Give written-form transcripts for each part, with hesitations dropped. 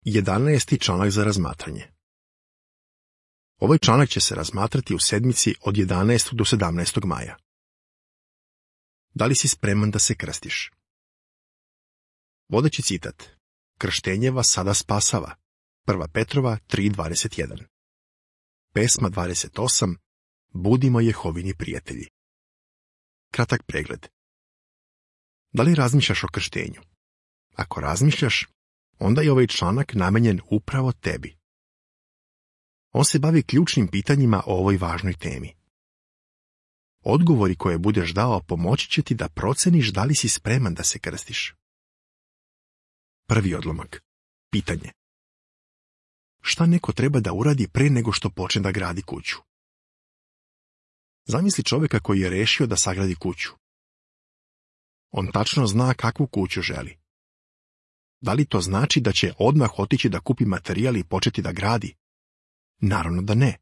11. članak za razmatranje. Ovaj članak će se razmatrati u sedmici od 11. do 17. maja. Da li si spreman da se krstiš? Vodeći citat. Krštenje vas sada spasava. 1. Petrova 3.21. Pesma 28. Budimo Jehovini prijatelji. Kratak pregled. Da li razmišljaš o krštenju? Ako razmišljaš, onda je ovaj članak namenjen upravo tebi. On se bavi ključnim pitanjima o ovoj važnoj temi. Odgovori koje budeš dao pomoći će ti da proceniš da li si spreman da se krstiš. Prvi odlomak. Pitanje. Šta neko treba da uradi pre nego što počne da gradi kuću? Zamisli čovjeka koji je rešio da sagradi kuću. On tačno zna kakvu kuću želi. Da li to znači da će odmah otići da kupi materijal i početi da gradi? Naravno da ne.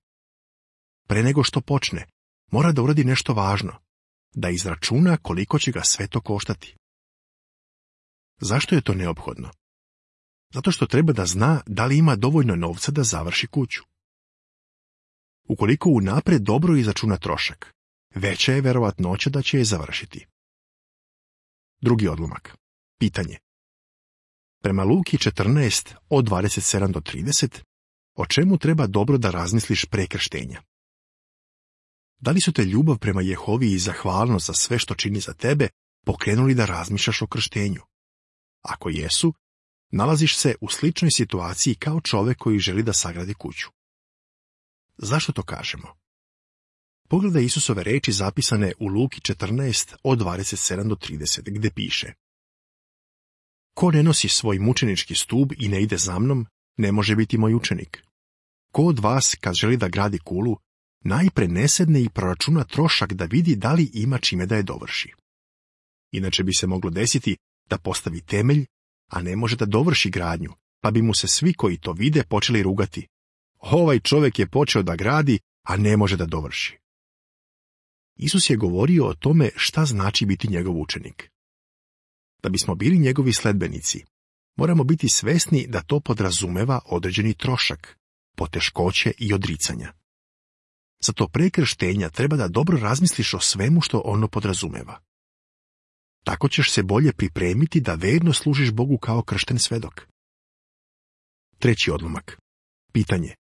Pre nego što počne, mora da uradi nešto važno, da izračuna koliko će ga sve to koštati. Zašto je to neophodno? Zato što treba da zna da li ima dovoljno novca da završi kuću. Ukoliko unapred dobro izračuna trošak, veća je verovatnoća da će je završiti. Drugi odlomak. Pitanje. Prema Luki 14 od 27 do 30, o čemu treba dobro da razmisliš pre krštenja? Da li su te ljubav prema Jehovi i zahvalnost za sve što čini za tebe pokrenuli da razmišljaš o krštenju? Ako jesu, nalaziš se u sličnoj situaciji kao čovek koji želi da sagradi kuću. Zašto to kažemo? Pogledaj Isusove reči zapisane u Luki 14 od 27 do 30, gde piše: Ko ne nosi svoj mučenički stub i ne ide za mnom, ne može biti moj učenik. Ko od vas, kad želi da gradi kulu, najpre ne sedne i proračuna trošak da vidi da li ima čime da je dovrši. Inače bi se moglo desiti da postavi temelj, a ne može da dovrši gradnju, pa bi mu se svi koji to vide počeli rugati. Ovaj čovjek je počeo da gradi, a ne može da dovrši. Isus je govorio o tome šta znači biti njegov učenik. Da bismo bili njegovi sledbenici, moramo biti svesni da to podrazumeva određeni trošak, poteškoće i odricanja. Zato pre krštenja treba da dobro razmisliš o svemu što ono podrazumeva. Tako ćeš se bolje pripremiti da verno služiš Bogu kao kršten svedok. Treći odlomak. Pitanje.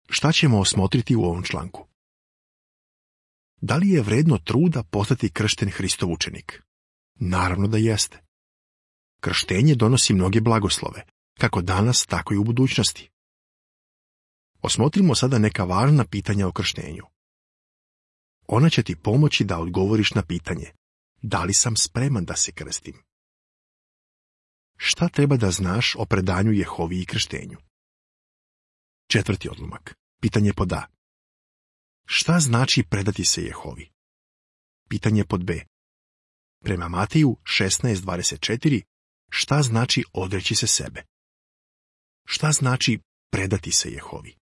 Šta ćemo osmotriti u ovom članku? Da li je vredno truda postati kršten Hristov učenik? Naravno da jeste. Krštenje donosi mnoge blagoslove, kako danas, tako i u budućnosti. Osmotrimo sada neka važna pitanja o krštenju. Ona će ti pomoći da odgovoriš na pitanje: da li sam spreman da se krstim? Šta treba da znaš o predanju Jehovi i krštenju? Četvrti odlomak. Pitanje pod A. Šta znači predati se Jehovi? Pitanje pod B. Prema Mateju 16.24, šta znači odreći se sebe? Šta znači predati se Jehovi?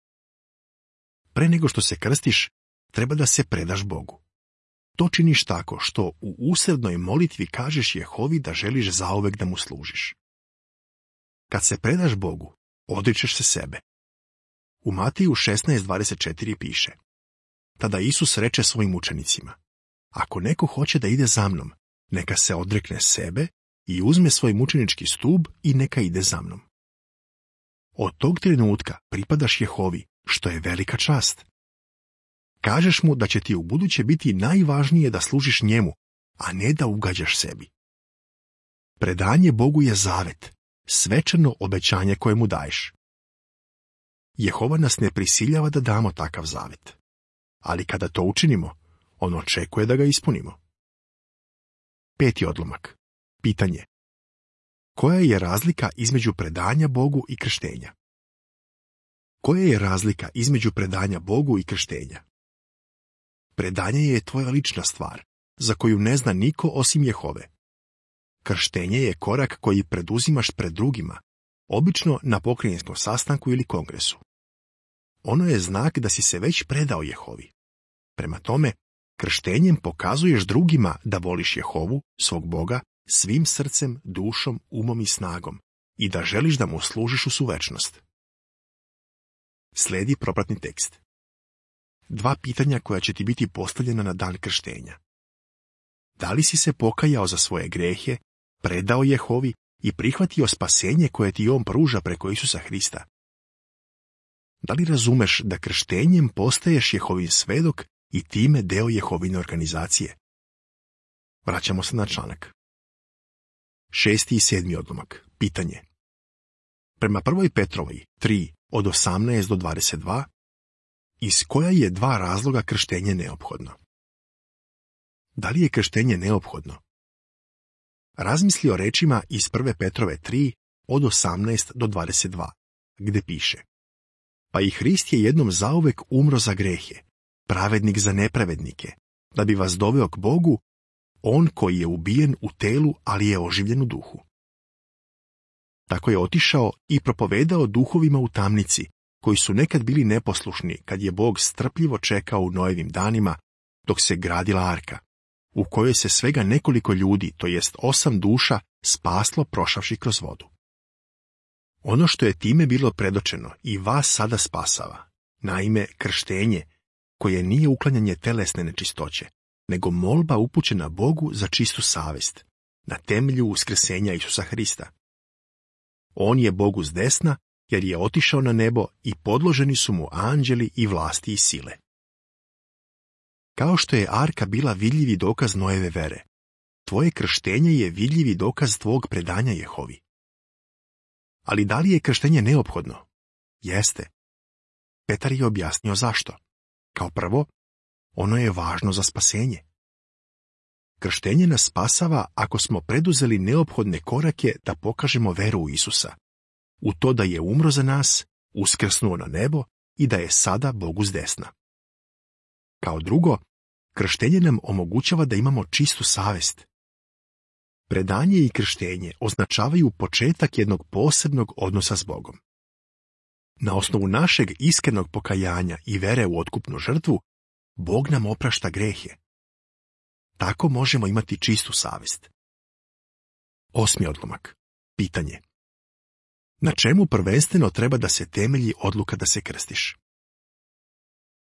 Pre nego što se krstiš, treba da se predaš Bogu. To činiš tako što u usrednoj molitvi kažeš Jehovi da želiš zauvek da mu služiš. Kad se predaš Bogu, odričeš se sebe. U Mateju 16.24 piše: Tada Isus reče svojim učenicima: Ako neko hoće da ide za mnom, neka se odrekne sebe i uzme svoj mučenički stub i neka ide za mnom. Od tog trenutka pripadaš Jehovi, što je velika čast. Kažeš mu da će ti ubuduće biti najvažnije da služiš njemu, a ne da ugađaš sebi. Predanje Bogu je zavet, svečano obećanje koje mu daješ. Jehova nas ne prisiljava da damo takav zavet, ali kada to učinimo, on očekuje da ga ispunimo. Peti odlomak. Pitanje. Koja je razlika između predanja Bogu i krštenja? Koja je razlika između predanja Bogu i krštenja? Predanje je tvoja lična stvar, za koju ne zna niko osim Jehove. Krštenje je korak koji preduzimaš pred drugima, obično na pokrajinskom sastanku ili kongresu. Ono je znak da si se već predao Jehovi. Prema tome, krštenjem pokazuješ drugima da voliš Jehovu, svog Boga, svim srcem, dušom, umom i snagom i da želiš da mu služiš u suvečnost. Slijedi propratni tekst. 2 pitanja koja će ti biti postavljena na dan krštenja. Da li si se pokajao za svoje grehe, predao Jehovi i prihvatio spasenje koje ti on pruža preko Isusa Hrista? Da li razumeš da krštenjem postaješ Jehovin svedok i time deo Jehovine organizacije? Vraćamo se na članak. 6. i 7. odlomak. Pitanje. Prema 1. Petrovoj 3 od 18 do 22, iz koja je 2 razloga krštenje neophodno? Da li je krštenje neophodno? Razmisli o rečima iz 1. Petrove 3 od 18 do 22, gde piše: Pa i Hrist je jednom zauvek umro za grehe, pravednik za nepravednike, da bi vas doveo k Bogu, on koji je ubijen u telu, ali je oživljen u duhu. Tako je otišao i propovedao duhovima u tamnici, koji su nekad bili neposlušni kad je Bog strpljivo čekao u Noevim danima dok se gradila arka, u kojoj se svega nekoliko ljudi, to jest 8 duša, spaslo prošavši kroz vodu. Ono što je time bilo predočeno i vas sada spasava, naime krštenje, koje nije uklanjanje telesne nečistoće, nego molba upućena Bogu za čistu savjest, na temelju uskrsenja Isusa Hrista. On je Bogu s desna, jer je otišao na nebo i podloženi su mu anđeli i vlasti i sile. Kao što je arka bila vidljivi dokaz Noeve vere, tvoje krštenje je vidljivi dokaz tvog predanja Jehovi. Ali da li je krštenje neophodno? Jeste. Petar je objasnio zašto. Kao prvo, ono je važno za spasenje. Krštenje nas spasava ako smo preduzeli neophodne korake da pokažemo veru u Isusa, u to da je umro za nas, uskrsnuo na nebo i da je sada Bogu s desna. Kao drugo, krštenje nam omogućava da imamo čistu savjest. Predanje i krštenje označavaju početak jednog posebnog odnosa s Bogom. Na osnovu našeg iskrenog pokajanja i vere u otkupnu žrtvu, Bog nam oprašta grehe. Tako možemo imati čistu savjest. 8. odlomak. Pitanje. Na čemu prvenstveno treba da se temelji odluka da se krstiš?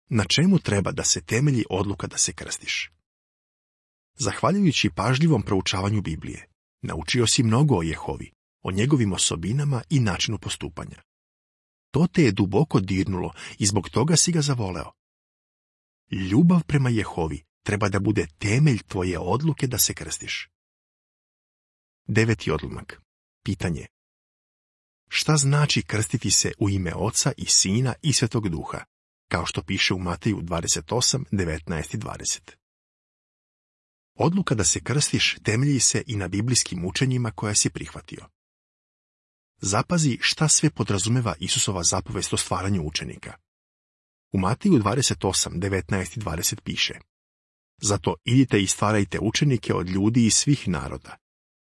Na čemu treba da se temelji odluka da se krstiš? Zahvaljujući pažljivom proučavanju Biblije, naučio si mnogo o Jehovi, o njegovim osobinama i načinu postupanja. To te je duboko dirnulo i zbog toga si ga zavoleo. Ljubav prema Jehovi treba da bude temelj tvoje odluke da se krstiš. 9. odlomak. Pitanje. Šta znači krstiti se u ime Oca i Sina i Svetog Duha, kao što piše u Mateju 28, 19 i 20? Odluka da se krstiš temelji se i na biblijskim učenjima koja si prihvatio. Zapazi šta sve podrazumeva Isusova zapovest o stvaranju učenika. U Mateju 28, 19 i 20 piše: Zato idite i stvarajte učenike od ljudi iz svih naroda,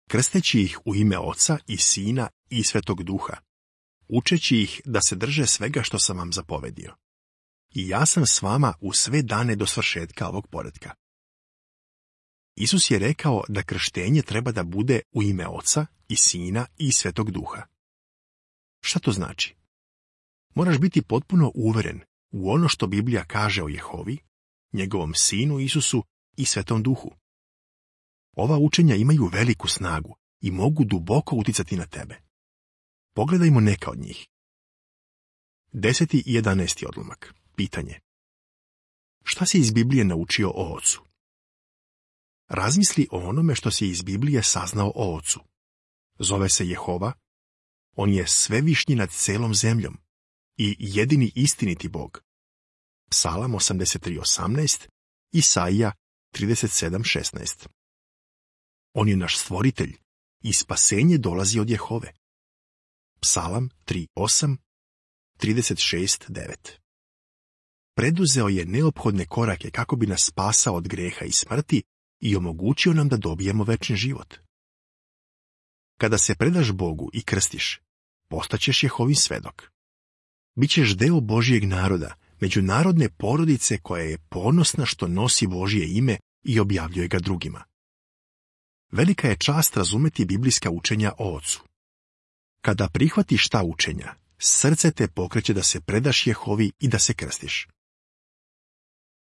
krsteći ih u ime Oca i Sina i Svetog Duha, učeći ih da se drže svega što sam vam zapovedio. I ja sam s vama u sve dane do svršetka ovog poretka. Isus je rekao da krštenje treba da bude u ime Oca i Sina i Svetog Duha. Šta to znači? Moraš biti potpuno uveren u ono što Biblija kaže o Jehovi, njegovom Sinu Isusu i Svetom Duhu. Ova učenja imaju veliku snagu i mogu duboko uticati na tebe. Pogledajmo neka od njih. 10. i 11. odlomak. Pitanje. Šta si iz Biblije naučio o Ocu? Razmisli o onome što si iz Biblije saznao o Ocu. Zove se Jehova, on je svevišnji nad celom zemljom i jedini istiniti Bog. Psalam 83.18, Isaija 37.16. On je naš stvoritelj i spasenje dolazi od Jehove. Psalam 3.8, 36.9. Preduzeo je neophodne korake kako bi nas spasao od greha i smrti i omogućio nam da dobijemo večni život. Kada se predaš Bogu i krstiš, postaćeš Jehovin svedok. Bićeš deo Božijeg naroda, međunarodne porodice koja je ponosna što nosi Božje ime i objavljuje ga drugima. Velika je čast razumeti biblijska učenja o Ocu. Kada prihvatiš ta učenja, srce te pokreće da se predaš Jehovi i da se krstiš.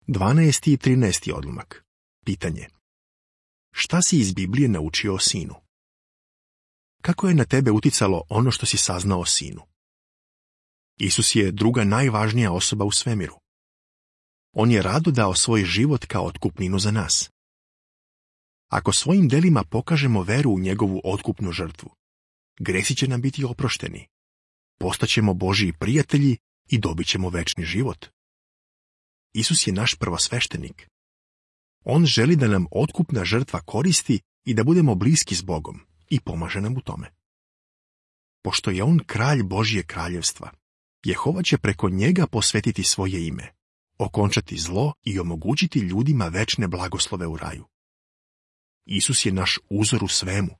12. i 13. odlomak. Pitanje. Šta si iz Biblije naučio o sinu? Kako je na tebe uticalo ono što si saznao o sinu? Isus je druga najvažnija osoba u svemiru. On je rado dao svoj život kao otkupninu za nas. Ako svojim delima pokažemo veru u njegovu otkupnu žrtvu, gresi će nam biti oprošteni. Postaćemo Božji prijatelji i dobit ćemo večni život. Isus je naš prvosveštenik. On želi da nam otkupna žrtva koristi i da budemo bliski s Bogom i pomaže nam u tome. Pošto je on kralj Božje kraljevstva, Jehova će preko njega posvetiti svoje ime, okončati zlo i omogućiti ljudima večne blagoslove u raju. Isus je naš uzor u svemu.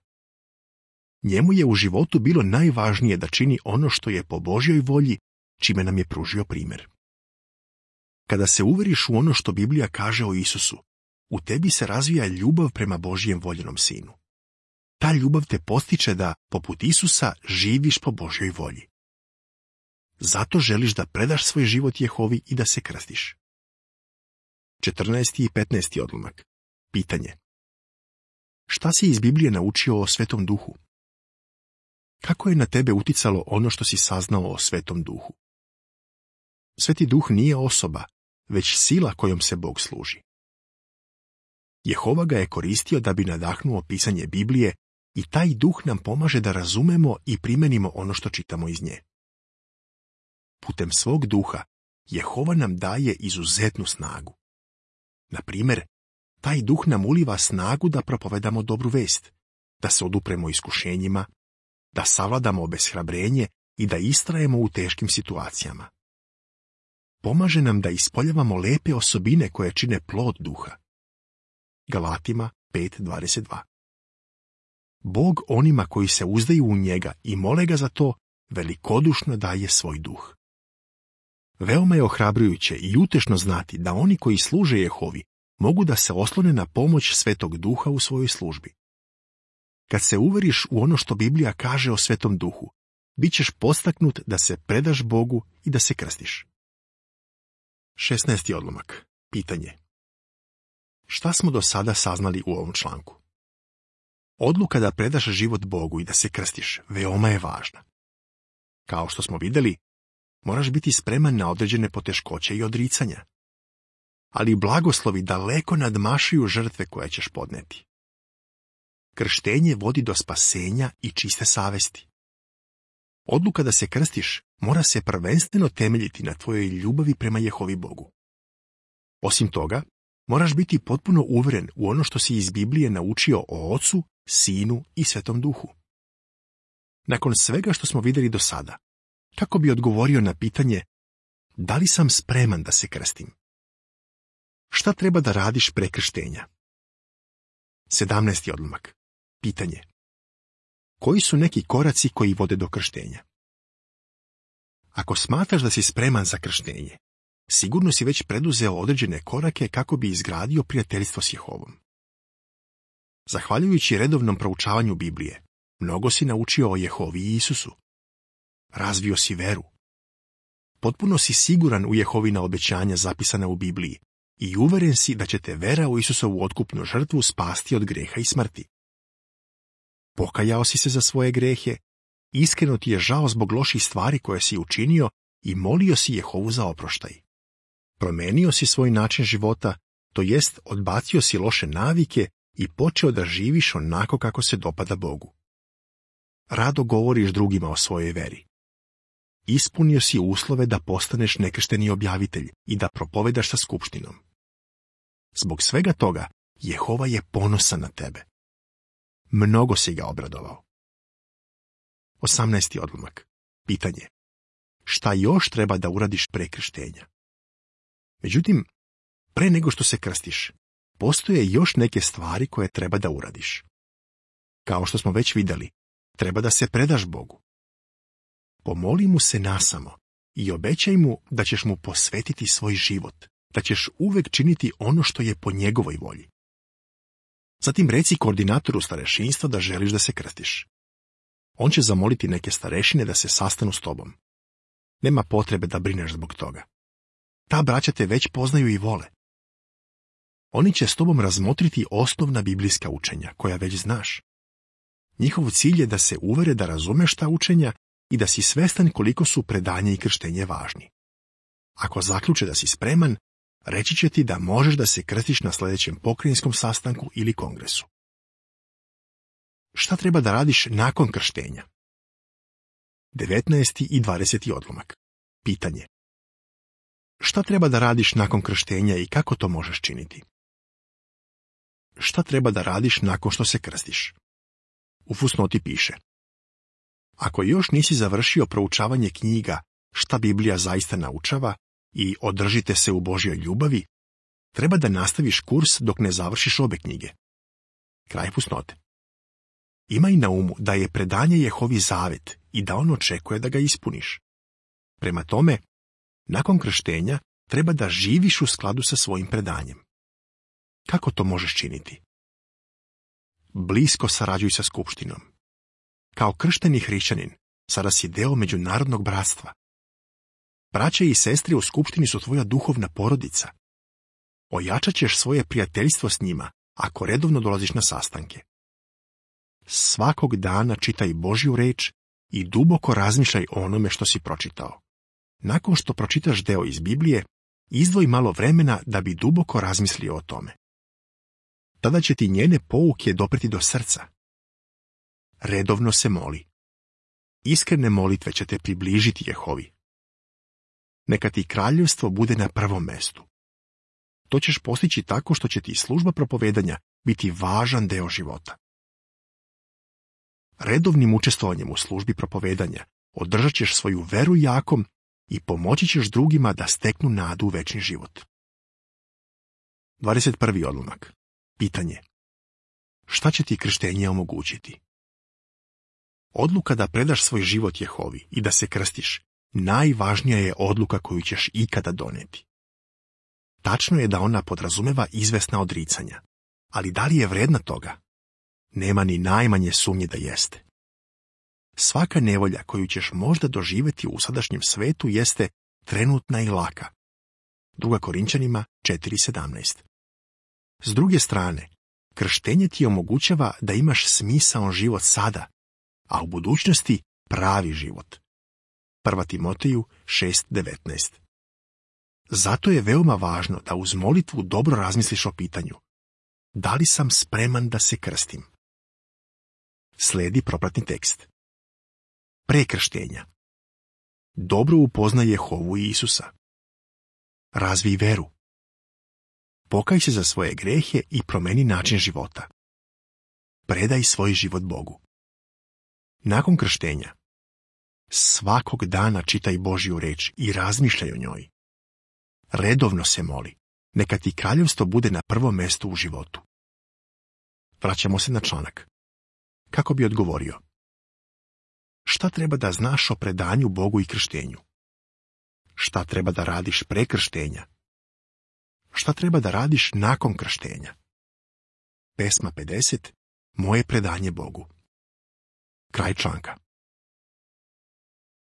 Njemu je u životu bilo najvažnije da čini ono što je po Božjoj volji, čime nam je pružio primjer. Kada se uveriš u ono što Biblija kaže o Isusu, u tebi se razvija ljubav prema Božjem voljenom sinu. Ta ljubav te postiče da, poput Isusa, živiš po Božjoj volji. Zato želiš da predaš svoj život Jehovi i da se krstiš. 14. i 15. odlomak. Pitanje. Šta si iz Biblije naučio o Svetom Duhu? Kako je na tebe uticalo ono što si saznao o Svetom Duhu? Sveti Duh nije osoba, već sila kojom se Bog služi. Jehova ga je koristio da bi nadahnuo pisanje Biblije i taj Duh nam pomaže da razumemo i primenimo ono što čitamo iz nje. Putem svog Duha, Jehova nam daje izuzetnu snagu. Na primjer, taj Duh nam uliva snagu da propovedamo dobru vest, da se odupremo iskušenjima, da savladamo obeshrabrenje i da istrajemo u teškim situacijama. Pomaže nam da ispoljavamo lepe osobine koje čine plod Duha. Galatima 5.22. Bog onima koji se uzdaju u njega i mole ga za to, velikodušno daje svoj Duh. Veoma je ohrabrujuće i utešno znati da oni koji služe Jehovi mogu da se oslone na pomoć Svetog Duha u svojoj službi. Kad se uveriš u ono što Biblija kaže o Svetom Duhu, bit ćeš podstaknut da se predaš Bogu i da se krstiš. 16. odlomak. Pitanje. Šta smo do sada saznali u ovom članku? Odluka da predaš život Bogu i da se krstiš veoma je važna. Kao što smo vidjeli, moraš biti spreman na određene poteškoće i odricanja. Ali blagoslovi daleko nadmašuju žrtve koje ćeš podneti. Krštenje vodi do spasenja i čiste savesti. Odluka da se krstiš mora se prvenstveno temeljiti na tvojoj ljubavi prema Jehovi Bogu. Osim toga, moraš biti potpuno uveren u ono što si iz Biblije naučio o Ocu, Sinu i Svetom Duhu. Nakon svega što smo vidjeli do sada, kako bi odgovorio na pitanje da li sam spreman da se krstim? Šta treba da radiš pre krštenja? 17. odlomak. Pitanje. Koji su neki koraci koji vode do krštenja? Ako smatraš da si spreman za krštenje, sigurno si već preduzeo određene korake kako bi izgradio prijateljstvo s Jehovom. Zahvaljujući redovnom proučavanju Biblije, mnogo si naučio o Jehovi i Isusu. Razvio si veru. Potpuno si siguran u Jehovina obećanja zapisana u Bibliji i uveren si da će te vera u Isusovu otkupnu žrtvu spasti od greha i smrti. Pokajao si se za svoje grehe, iskreno ti je žao zbog loših stvari koje si učinio i molio si Jehovu za oproštaj. Promenio si svoj način života, to jest odbacio si loše navike i počeo da živiš onako kako se dopada Bogu. Rado govoriš drugima o svojoj veri. Ispunio si uslove da postaneš nekršteni objavitelj i da propovedaš sa skupštinom. Zbog svega toga, Jehova je ponosan na tebe. Mnogo si ga obradovao. 18. odlomak. Pitanje. Šta još treba da uradiš pre krštenja? Međutim, pre nego što se krstiš, postoje još neke stvari koje treba da uradiš. Kao što smo već vidjeli, treba da se predaš Bogu. Pomoli mu se nasamo i obećaj mu da ćeš mu posvetiti svoj život, da ćeš uvek činiti ono što je po njegovoj volji. Zatim reci koordinatoru starešinstva da želiš da se krstiš. On će zamoliti neke starešine da se sastanu s tobom. Nema potrebe da brineš zbog toga. Ta braća te već poznaju i vole. Oni će s tobom razmotriti osnovna biblijska učenja, koja već znaš. Njihov cilj je da se uvere da razumeš ta učenja i da si svestan koliko su predanje i krštenje važni. Ako zaključe da si spreman, reći će ti da možeš da se krstiš na sljedećem pokrajinskom sastanku ili kongresu. Šta treba da radiš nakon krštenja? 19. i 20. odlomak. Pitanje. Šta treba da radiš nakon krštenja i kako to možeš činiti? Šta treba da radiš nakon što se krstiš? U fusnoti piše: ako još nisi završio proučavanje knjiga Šta Biblija zaista naučava i Održite se u Božjoj ljubavi, treba da nastaviš kurs dok ne završiš obe knjige. Kraj fusnote. Imaj na umu da je predanje Jehovi zavet i da on očekuje da ga ispuniš. Prema tome, nakon krštenja treba da živiš u skladu sa svojim predanjem. Kako to možeš činiti? Blisko sarađuj sa skupštinom. Kao kršteni hrišćanin, sada si deo međunarodnog bratstva. Braće i sestre u skupštini su tvoja duhovna porodica. Ojačat ćeš svoje prijateljstvo s njima ako redovno dolaziš na sastanke. Svakog dana čitaj Božju reč i duboko razmišljaj o onome što si pročitao. Nakon što pročitaš deo iz Biblije, izdvoj malo vremena da bi duboko razmislio o tome. Tada će ti njene pouke dopreti do srca. Redovno se moli. Iskrene molitve će te približiti Jehovi. Neka ti kraljevstvo bude na prvom mestu. To ćeš postići tako što će ti služba propovedanja biti važan deo života. Redovnim učestvovanjem u službi propovedanja održat ćeš svoju veru jakom i pomoći ćeš drugima da steknu nadu u večni život. 21. odlomak. Pitanje. Šta će ti krštenje omogućiti? Odluka da predaš svoj život Jehovi i da se krstiš najvažnija je odluka koju ćeš ikada doneti. Tačno je da ona podrazumeva izvesna odricanja, ali da li je vredna toga? Nema ni najmanje sumnje da jeste. Svaka nevolja koju ćeš možda doživjeti u sadašnjem svetu jeste trenutna i laka. 2. Korinćanima 4:17. S druge strane, krštenje ti omogućava da imaš smisaon život sada, a u budućnosti pravi život. 1. Timoteju 6:19. Zato je veoma važno da uz molitvu dobro razmisliš o pitanju: da li sam spreman da se krstim? Slijedi propratni tekst. Pre krštenja. Dobro upoznaj Jehovu i Isusa. Razvij veru. Pokaj se za svoje grehe i promeni način života. Predaj svoj život Bogu. Nakon krštenja. Svakog dana čitaj Božju reč i razmišljaj o njoj. Redovno se moli. Neka ti kraljevstvo bude na prvom mjestu u životu. Vraćamo se na članak. Kako bi odgovorio? Šta treba da znaš o predanju Bogu i krštenju? Šta treba da radiš pre krštenja? Šta treba da radiš nakon krštenja? Pesma 50. Moje predanje Bogu. Kraj članka.